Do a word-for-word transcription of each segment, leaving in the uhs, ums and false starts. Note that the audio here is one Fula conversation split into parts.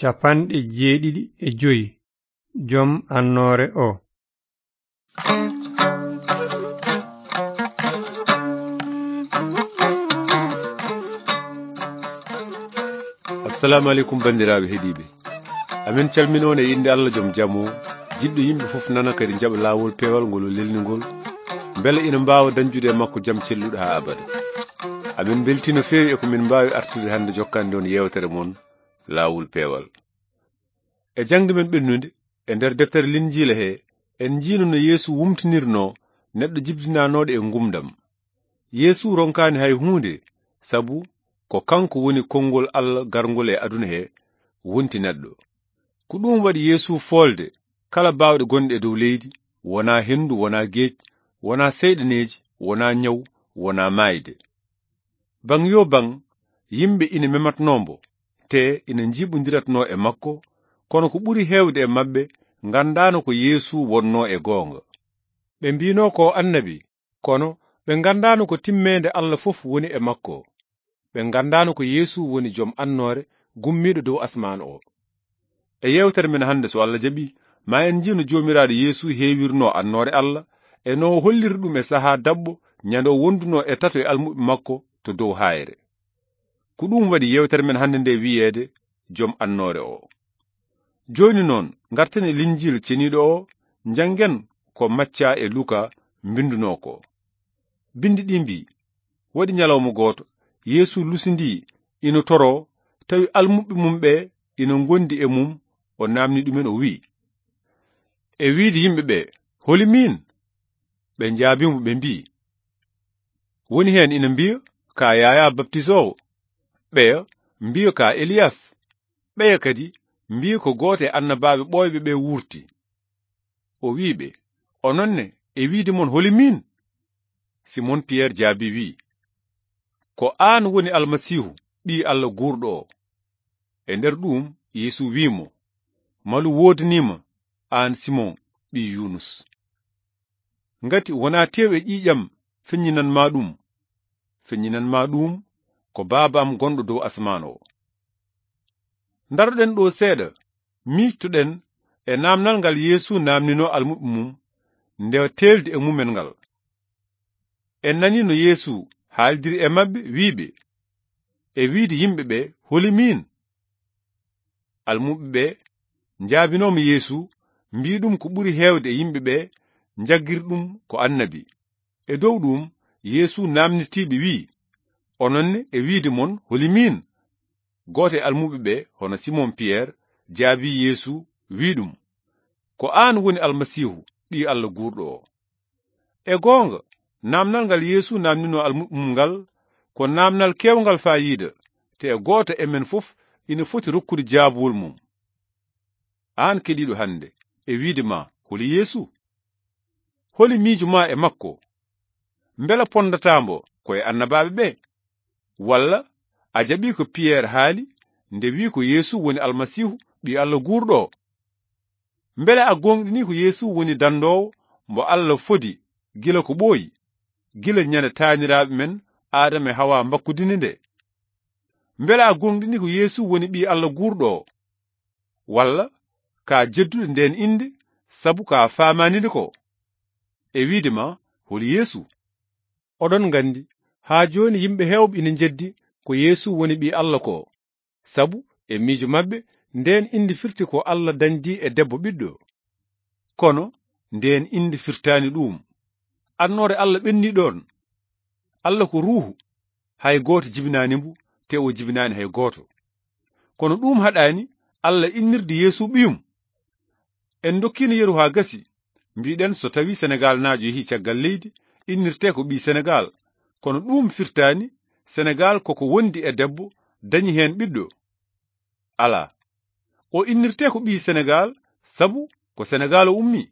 Capanɗe jeeɗiɗi e joy. Jom annoore o. Assalamu aleykum, banndiraaɓe heɗiiɓe. Amin calmina on e innde Allah jom jam o, jiɗɗo yimɓe fof nana kadi jaɓa laawol peewal ngol o lelni ngol, mbele ina mbaawa dañjude e makko jam celluɗo haa abada. Amin mbeltii no feewi e ko min mbaawi artude hannde jokkande on yeewtere mon, Laawol Peewal. E jaŋde men ɓennunde, e nder deftere Linjiila he, en njiino no Yeesu wumtinirnoo neɗɗo jibdinaanooɗo e ngumdam. Yeesu ronkaani hay huunde, sabu ko kanko woni konngol Allah garngol e aduna he, wonti neɗɗo. Ko ɗum waɗi Yeesu foolde kala baawɗe gonɗe e dow leydi, wonaa henndu, wonaa geej, wonaa seyɗaneeji, wonaa ñaw, wonaa maayde. Baŋ yo baŋ, yimɓe ina mematnoo mbo, te ina njiiɓondiratnoo e makko, kono ko ɓuri heewde e maɓɓe nganndaano ko Yeesu wonnoo e goonga. Ɓe mbiinoo ko annabi, kono ɓe nganndaano ko timmeende Allah fof woni e makko. Ɓe nganndaano ko Yeesu woni jom annoore gummiiɗo dow asmaan o. E yeewtere men hannde, so Allah jaɓi, ma en njii no Joomiraaɗo Yeesu heewirnoo annoore Allah, e no o holliri ɗum e sahaa daɓɓo ñande o wondunoo e tato e almuɓɓe makko to dow haayre. Ko ɗum waɗi yeewtere men hannde nde wiyeede jom annoore o. Jooni noon, ngarten e Linjiila ceniiɗo o, njanngen ko Macca e Luka mbindunoo ko. Binndi ɗi mbii, waɗi ñalawma gooto, Yeesu lusindii ina toroo, tawi almuɓɓe mum ɓe ina ngondi e mum, o naamni ɗumen, o wii, e wiide yimɓe ɓe, holi miin? Ɓe njaabii mo, ɓe mbii, woni heen ina mbiya, ka Yaayaa Baptisoowo, ɓeya mbiya, ka Eliyas, ɓeya kadi mbiya, ko gooto e annabaaɓe ɓooyɓe ɓe wuurti. O wii ɓe, onon ne, e wiide mon, holi miin? Simon Piyeer jaabii, wii, ko aan woni Almasiihu, Ɓii Allah guurɗo o. E nder ɗuum, Yeesu wii mo, malu woodanii ma, aan Simon, ɓii Yuunus. Ngati wonaa tew e ƴiiƴam feññinan ma ɗum, feññinan ma ɗum ko Baaba am gonɗo dow asmaan o. Ndaroɗen ɗo seeɗa, miijtoɗen e naamnal ngal Yeesu naamninoo almuɓɓe mum, nde teeldi e mumen ngal. En nanii no Yeesu haaldiri e maɓɓe, wii ɓe, e wiide yimɓe ɓe, holi miin? Almuɓɓe ɓe njaabinooma Yeesu, mbii ɗum ko ɓuri heewde e yimɓe ɓe njaggiri ɗum ko annabi. E dow ɗum, Yeesu naamnitii ɓe, wii, onon ne, e wiide mon, holi miin? Gooto e almuɓɓe ɓe, hono Simon Piyeer, jaabii Yeesu, wii ɗum, ko aan woni Almasiihu, Ɓii Allah guurɗo o. E goonga, naamnal ngal Yeesu naamninoo almuɓɓe mum ngal, ko naamnal keewngal faayiida, te gooto e men fof ina foti rokkude jaabuwol mum. Aan keɗiiɗo hannde, e wiide ma, holi Yeesu? Holi miijo ma e makko? Mbela ponndataa mbo ko e annabaaɓe ɓe? Walla a jaɓii ko Piyeer haali nde wii ko Yeesu woni Almasiihu, Ɓii Allah guurɗo o? Mbele a gooŋɗinii ko Yeesu woni danndoowo mbo Allah fodi gila ko ɓooyi, gila ñande taaniraaɓe men Aadama e Hawa mbakkudini nde? Mbele a gooŋɗinii ko Yeesu woni Ɓii Allah guurɗo o? Walla ka jeddude ndeen innde sabu ka faamaani nde ko? E wiide ma, holi Yeesu? Oɗon nganndi, haa jooni yimɓe heewɓe ina njeddi ko Yeesu woni Ɓii Allah ko. Sabu e miijo maɓɓe, ndeen innde firti ko Allah dañdi e debbo ɓiɗɗo. Kono ndeen innde firtaani ɗuum. Annoore Allah ɓenni ɗoon. Allah ko ruuhu, hay gooto jibinaani mbo, te o jibinaani hay gooto. Kono ɗuum haɗaani Allah innirde Yeesu ɓiyum. En ndokkiino yeru haa gasi, mbiɗen so tawi Senegaalnaajo yehi caggal leydi, innirte ko ɓii Senegaal. Kono ɗuum firtaani Senegaal koko wondi e debbo, dañi heen ɓiɗɗo. Alaa. O innirte ko ɓii Senegaal, sabu ko Senegaal o ummii.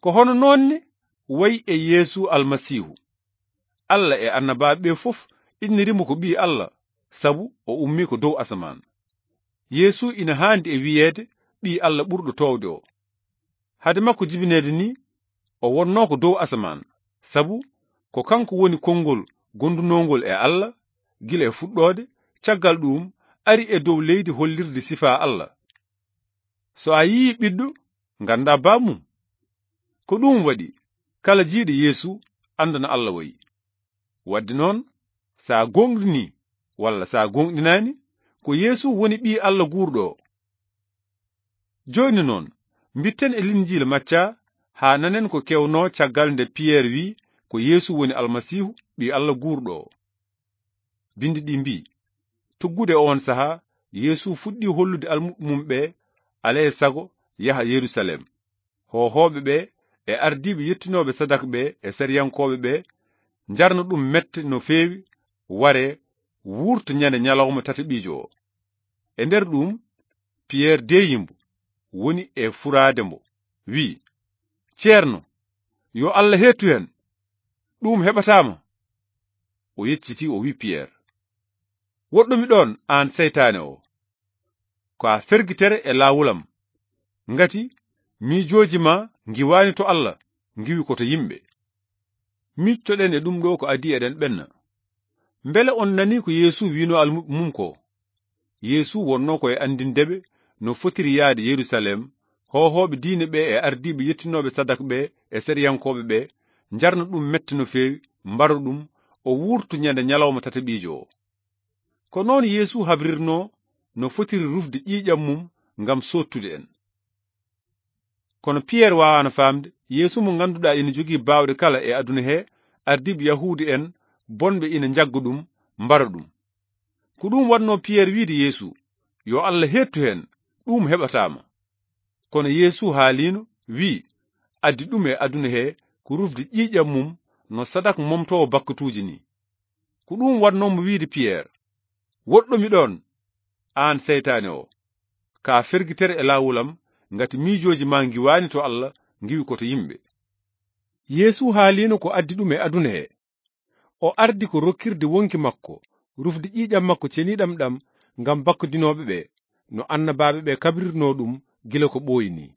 Ko hono noon ne wayi e Yeesu Almasiihu. Allah e annabaaɓe ɓe fof inniri mo ko Ɓii Allah, sabu o ummii ko dow asamaan. Yeesu ina haandi e wiyeede Ɓii Allah ɓurɗo toowde o. Hade makko jibineede ni, o wonnoo ko dow asamaan, sabu ko kanko woni konngol gondunoongol e Allah gila e fuɗɗoode, caggal ɗuum ari e dow leydi hollirde sifaa Allah. So a yii ɓiɗɗo, nganndaa bammum. Ko ɗum waɗi, kala jiiɗo Yeesu anndana Allah wayi. Wadde noon, so a gooŋɗinii walla so a gooŋɗinaani, ko Yeesu woni Ɓii Allah guurɗo o. Jooni noon, mbitten e Linjiila Macca haa nanen ko kewnoo caggal nde Piyeer wii ko Yeesu woni Almasiihu, Ɓii Allah guurɗo o. Binndi ɗi mbii, tuggude oon sahaa, Yeesu fuɗɗii hollude almuɓɓe mum ɓe, alaa e sago yaha Yerusaleem. Hoohooɓe ɓe e ardiiɓe yettinooɓe sadak ɓe e sariyankooɓe ɓe njarno ɗum mette no feewi, waree, wuurto ñande ñalawma tataɓiijo o. E nder ɗum, Piyeer deeyi mbo, woni e furaade mbo, wii, "Ceerno, yo Allah heettu heen, ɗum heɓataa ma." O yeccitii, o wii Piyeer, "Woɗɗomi ɗoon, aan seytaane o. Ko a fergitere e laawol am. Ngati miijooji ma ngiwaani to Allah, ngiwi ko to yimɓe." Miijtoɗen e ɗum ɗo ko adii eɗen ɓenna. Mbele on nanii ko Yeesu wiinoo almuɓɓe mum ko? Yeesu wonnoo ko e anndinde ɓe no fotiri yahde Yerusaleem, hoohooɓe diine ɓe e ardiiɓe yettinooɓe sadak ɓe e sariyankooɓe ɓe njarna ɗum mette no feewi, mbara ɗum, o wuurtu ñande ñalawma tataɓiijo o. Ko noon Yeesu habrirnoo no fotiri rufde ƴiiƴam mum ngam soottude en. Kono Piyeer waawaano faamde Yeesu mo ngannduɗaa ina jogii baawɗe kala e aduna he, ardiiɓe Yahuudu en bonɓe ina njagga ɗum, mbara ɗum. Ko ɗum waɗnoo Piyeer wiide Yeesu, "Yo Allah heettu heen, ɗum heɓataa ma." Kono Yeesu haaliino, wii, "Addi ɗum e aduna he ko rufde ƴiiƴam mum no sadak momtoowo bakkatuuji ni." Ko ɗum waɗnoo mo wiide Piyeer, "Woɗɗomi ɗoon, aan seytaane o. Ka fergitere e laawol am, ngati miijooji ma ngiwaani to Allah, ngiwi ko to yimɓe." Yeesu haaliino ko addi ɗum e aduna he. O ardi ko rokkirde wonki makko, rufde ƴiiƴam makko ceniiɗam ɗam ngam bakkudinooɓe ɓe, no annabaaɓe ɓe kabrirnoo ɗum gila ko ɓooyi ni.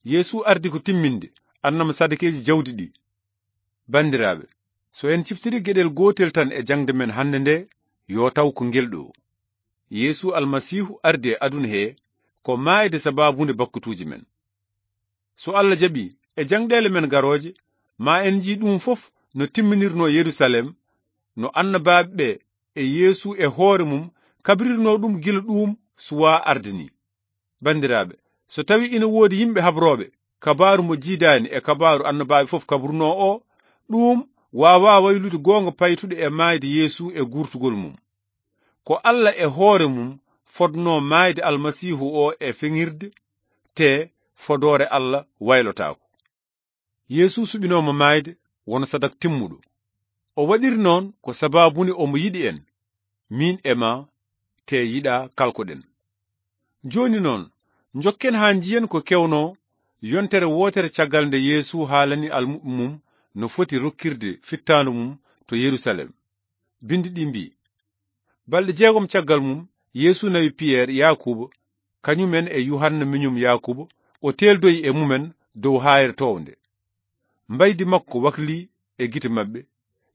Yeesu ardi ko timminde annama sadakeeji jawdi ɗi. Banndiraaɓe, so en ciftiri geɗel gootel tan e jaŋde men hannde nde, yo taw ko ngel ɗo. Yeesu Almasiihu ardi e aduna he ko maayde sabaabunde bakkutuuji men. So Allah jaɓi, e jaŋɗeele men garooje, ma en njii ɗum fof no timminirnoo Yerusaleem, no annabaaɓe ɓe e Yeesu e hoore mum kabrirnoo ɗum gila ɗum suwaa arde ni. Banndiraaɓe, so tawi ina woodi yimɓe habrooɓe kabaaru mo jiidaani e kabaaru annabaaɓe fof kabrunoo o, ɗum waawaa waylude goonga paytuɗo e maayde Yeesu e guurtugol mum. Ko Allah e hoore mum fodnoo maayde Almasiihu o e feŋirde, te fodoore Allah waylotaako. Yeesu suɓinooma maayde wano sadak timmuɗo. O waɗiri noon ko sabaabuni omo yiɗi en, miin e ma, te yiɗa kalkoɗen. Jooni noon, njokken haa njiyen ko kewnoo yontere wootere caggal nde Yeesu haalani almuɓɓe mum no foti rokkirde fittaandu mum to Yerusaleem. Binndi ɗi mbii, balɗe jeegom caggal mum, Yeesu nawi Piyeer, Yaakuuba, kañumen e Yuhanna miñum Yaakuuba, o teeldoyi e mumen dow haayre townde. Mbaydi makko waklii e gite maɓɓe,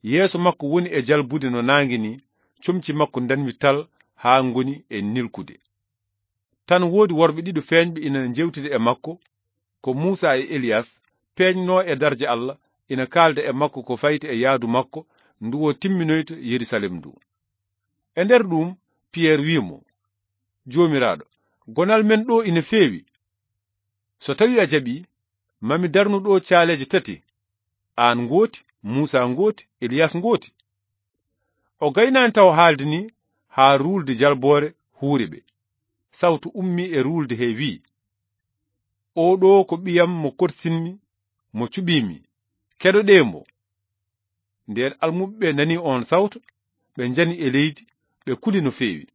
yeeso makko woni e jalbude no naange ni, comci makko ndanwi tal haa ngoni e nilkude. Tan woodi worɓe ɗiɗo feeñɓe ina njeewtida e makko, ko Muusa e Eliyas, peeñnoo e darja Allah, ina kaalda e makko ko fayti e yahdu makko ndu o timminoyta Yerusaleem ndu. E nder ɗum, Piyeer wii mo, Joomiraaɗo, gonal men ɗo ina feewi. So tawi a jaɓi, ma mi darnu ɗo caaleeje tati, aan ngooti, Muusa ngooti, Eliyas ngooti. O gaynaani taw haalde ni haa ruulde jalboore huuri ɓe. Sawtu ummii e ruulde he wii, "Oo ɗo ko ɓiyam mo korsinmi, mo cuɓiimi. Keɗoɗee mo." Ndeen almuɓɓe ɓe nani oon sawtu, ɓe njani e leydi, ɓe kuli no feewi.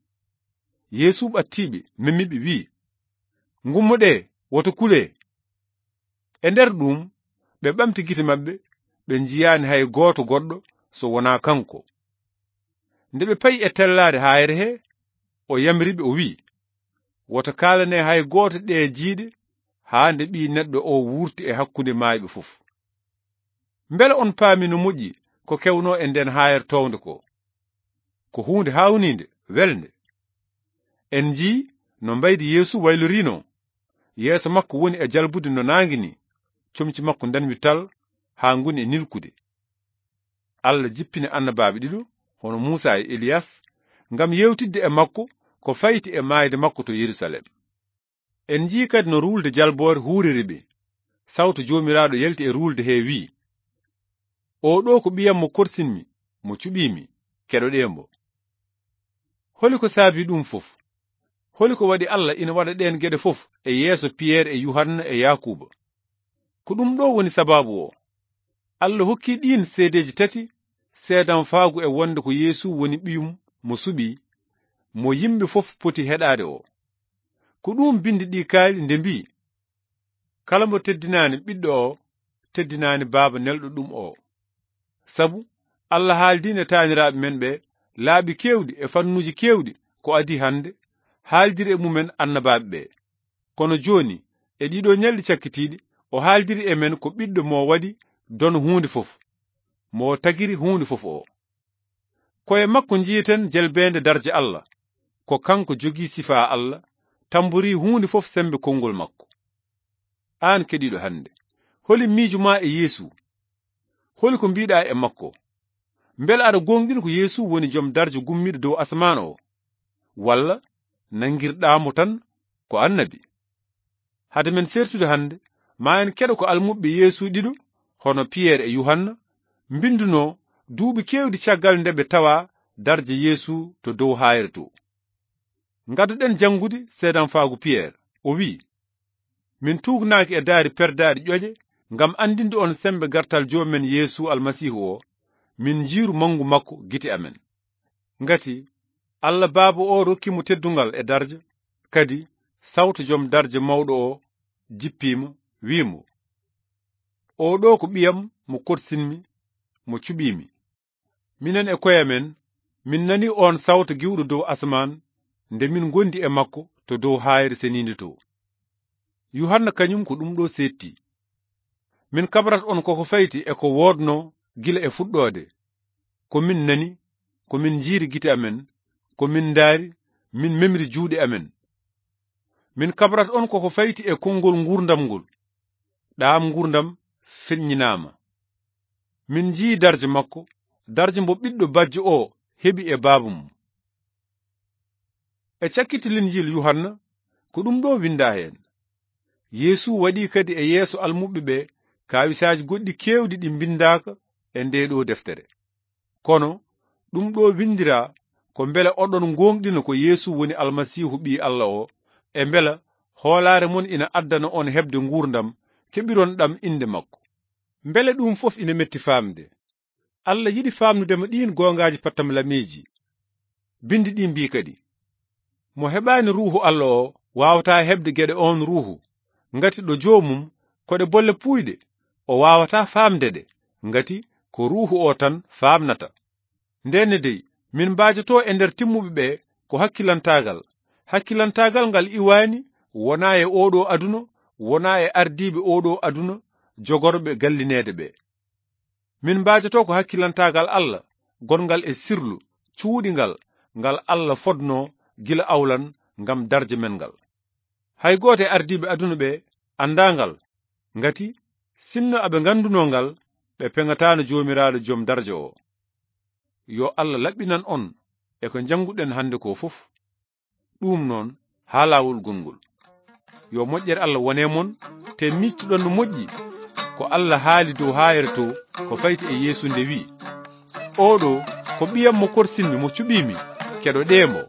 Yeesu ɓattii ɓe, memi ɓe, wii, "Ngummoɗee, woto kulee." E nder ɗum, ɓe ɓamti gite maɓɓe, ɓe njiyaani hay gooto goɗɗo so wonaa kanko. Nde ɓe payi e tellaade haayre he, o yamiri ɓe, o wii, "Woto kaalanee hay gooto ɗee jiiɗe haa nde Ɓii Neɗɗo o wuurti e hakkunde maayɓe fof." Mbele on paami no moƴƴi ko kewnoo e ndeen haayre townde ko? Ko huunde haawniinde, welnde. En njii no mbaydi Yeesu wayloriino. Yeeso makko woni e jalbude no naange ni, comci makko ndanwi tal haa ngoni e nilkude. Allah jippini annabaaɓe ɗiɗo, hono Muusa e Eliyas, ngam yewtidde e makko ko fayti e maayde makko to Yerusalem. En njii kadi no ruulde jalboore huuriri ɓe. Sawtu Joomiraaɗo yalti e ruulde hee wi'i, "Oo ɗoo ko ɓiyam mo korsinmi, mo cuɓiimi, keɗoɗee mbo." Holi ko saabii ɗum fof? Holi ko waɗi Allah ina waɗa ɗeen geɗe fof e yeeso Piyeer e Yuhanna e Yaakuuba? Ko ɗum ɗoo woni sabaabu o. Allah hokki ɗiin seedeeji tati seedanfaagu e wonde ko Yeesu woni ɓiyum mo suɓii, mo yimɓe fof poti heɗaade o. Ko ɗum binndi ɗi kaali nde mbii, "Kala mo teddinaani ɓiɗɗo o, teddinaani baaba nelɗo ɗum o." Sabu Allah haaldiino e taaniraaɓe men ɓe laabi keewɗi e fannuuji keewɗi ko adii hannde, haaldiri e mumen annabaaɓe ɓe. Kono jooni, e ɗiɗo ñalɗi cakkitiiɗi, o haaldiri e men ko ɓiɗɗo mo waɗi dono huunde fof, mo tagiri huunde fof o. Ko e makko njiyeten jelbeende darje Allah, ko kanko jogii sifaa Allah, tamborii huunde fof semmbe konngol makko. Aan keɗiiɗo hannde, holi miijo ma e Yeesu? Holi ko mbiiɗaa e makko? Mbele aɗa gooŋɗina ko Yeesu woni jom darje gummiiɗo dow asamaan o? Walla nanngirɗaa mo tan ko annabi? Hade men sertude hannde, ma en keɗo ko almuɓɓe Yeesu ɗiɗo, hono Piyeer e Yuhanna, mbinndunoo duuɓi keewɗi caggal nde ɓe tawa darje Yeesu to dow haayre to. Ngaddoɗen janngude seedanfaagu Piyeer. O wi'i, "Min tuugnaaki e daari perdaaɗi ƴoƴe ngam anndinde on semmbe gartal Joomi men Yeesu Almasiihu o, min njiiru manngu makko gite amen. Ngati Allah Baaba o rokki mo teddungal e darja, kadi sawto jom darja mawɗo o jippiima, wi'i mo, 'Oo ɗoo ko ɓiyam mo korsinmi, mo cuɓiimi.'" Minen e koye amen, min nani oon sawto giwɗo dow asamaan nde min ngondi e makko to dow haayre seniinde to. Yuhanna kañum ko ɗum ɗo seetti. Min kabrat on koko fayti e ko woodno gila e fuɗɗoode. Ko min nani, ko min njiiri gite amen, ko min ndaari, min memri juuɗe amen. Min kabrat on koko fayti e konngol nguurndam ngol. Ɗaam nguurndam feññinaama. Min njii darje makko, darje mbo ɓiɗɗo bajjo o heɓi e baaba mum. E cakkiti Linjiil Yuhanna, ko ɗum ɗo winndaa heen. Yeesu waɗi kadi e yeeso almuɓɓe ɓe kaawisaaji goɗɗi keewɗi ɗi mbinndaaka e ndee ɗo deftere. Kono ɗum ɗo winndiraa ko mbele oɗon ngooŋɗina ko Yeesu woni Almasiihu Ɓii Alla o, e mbela hoolaare mon ina addana on heɓde nguurndam keɓiron ɗam innde makko. Mbele ɗum fof ina metti faamde? Alla yiɗi faamnude mo ɗiin goongaaji pattamlamiiji. Binndi ɗi mbii kadi, "Mo heɓaani Ruuhu Alla o waawataa heɓde geɗe oon Ruuhu, ngati ɗo joomum ko ɗe bolle puuyɗe, o waawataa faamde ɗe, ngati ko Ruuhu o tan faamnata." Ndenne dey, min mbaajotoo e nder timmuɓe ɓe ko hakkilantaagal. Hakkilantaagal ngal iwaani wonaa e oo ɗo aduna, wonaa e ardiiɓe oo ɗo aduna jogorɓe gallineede ɓe. Min mbaajotoo ko hakkilantaagal Alla, gonngal e sirlu, cuuɗingal, ngal Alla fodnoo gila awlan ngam darje men ngal. Hay gooto e ardiiɓe aduna ɓe anndaa ngal, ngati sinno aɓe nganndunoo ngal, ɓe peŋataano Joomiraaɗo Jom Darja o. Yo Alla laɓɓinan on e ko njannguɗen hannde ko fof. Ɗum noon, haa laawol gongol. Yo moƴƴere Alla wone mon, te miictuɗon no moƴƴi ko Alla haali dow haayre to ko fayti e Yeesu nde wi'i, "Oo ɗo ko ɓiyam mo korsinmi, mo cuɓiimi, keɗoɗee mo."